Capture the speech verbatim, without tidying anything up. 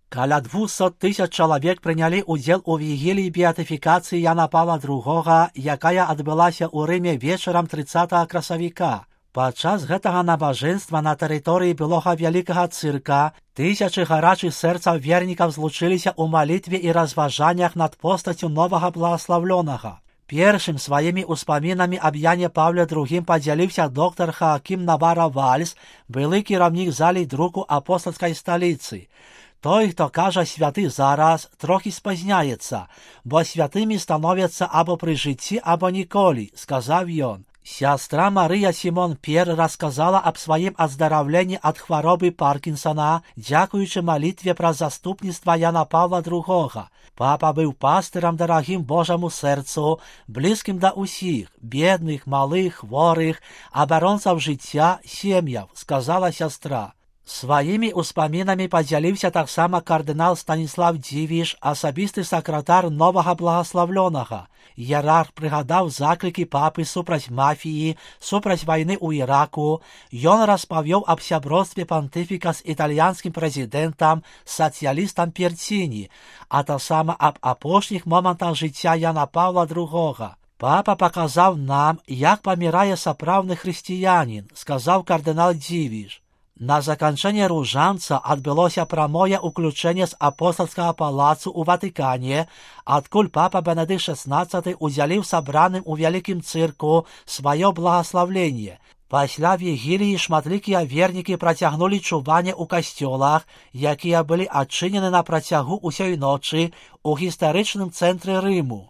Каля двухсот тысяч чалавек прынялі ўдзел у вігіліі беатыфікацыі Яна Павла другога, якая адбылася ў Рыме вечарам трыццатага красавіка. Падчас гэтага набажэнства на тэрыторыі былога вялікага цырка тысячы гарачых сэрцаў вернікаў злучыліся ў малітве і разважаннях над постаццю новага благаслаўлёнага. Першым сваімі ўспамінамі аб Яне Паўле другім падзяліўся доктар Хаакім Навара Вальс, былы кіраўнік залей друку апостальскай сталіцы. Той, хто кажа святы зараз, трохі спазняецца, бо святымі становяцца або пры жыцці, або ніколі, сказаў ён. Сястра Марыя Сімон Пер расказала аб сваім аздараўленні ад хваробы Паркінсона, дзякуючы малітве пра заступніцтва Яна Паўла другога. Папа быў пастырам дарагім Божаму сэрцу, блізкім да ўсіх, бедных, малых, хворых, абаронцаў жыцця, сем'яў, сказала сястра. Сваімі ўспамінамі падзяліўся таксама кардынал Станіслав Дзівіш, асабісты сакратар новага благаслаўлёнага. Іерарх прыгадаў заклікі папы супраць мафіі, супраць вайны ў Іраку. Ён распавёў аб сябростве пантыфіка з італьянскім прэзідэнтам, сацыялістам Перціні, а таксама аб апошніх момантах жыцця Яна Паўла другога. Папа паказаў нам, як памірае сапраўдны хрысціянін, сказаў кардынал Дзівіш. На заканчэнне ружанца адбылося прамое ўключэнне з апостальскага палацу ў Ватыкане, адкуль папа Бенедыкт шаснаццаты ўдзяліў сабраным у вялікім цырку сваё благаслаўленне. Пасля вігіліі шматлікія вернікі працягнулі чуванне ў касцёлах, якія былі адчынены на працягу ўсёй ночы ў гістарычным цэнтры Рыму.